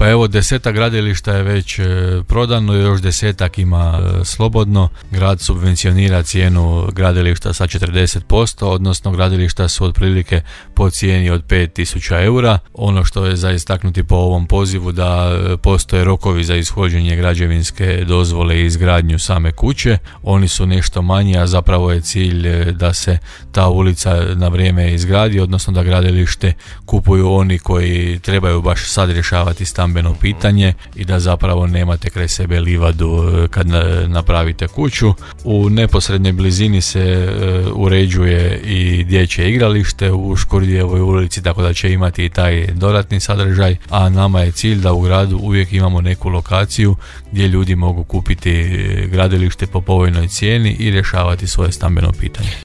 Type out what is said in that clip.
Pa evo, 10 gradilišta je već prodano, još 10 ima slobodno. Grad subvencionira cijenu gradilišta sa 40%, odnosno gradilišta su otprilike po cijeni od 5.000 eura. Ono što je za istaknuti po ovom pozivu da postoje rokovi za ishođenje građevinske dozvole i izgradnju same kuće. Oni su nešto manji, a zapravo je cilj da se ta ulica na vrijeme izgradi, odnosno da gradilište kupuju oni koji trebaju baš sad rješavati stambeno pitanje i da zapravo nemate kraj sebe livadu kad napravite kuću. U neposrednoj blizini se uređuje i dječje igralište u Škurdijevoj ulici, tako da će imati i taj dodatni sadržaj, a nama je cilj da u gradu uvijek imamo neku lokaciju gdje ljudi mogu kupiti gradilište po povoljnoj cijeni i rješavati svoje stambeno pitanje.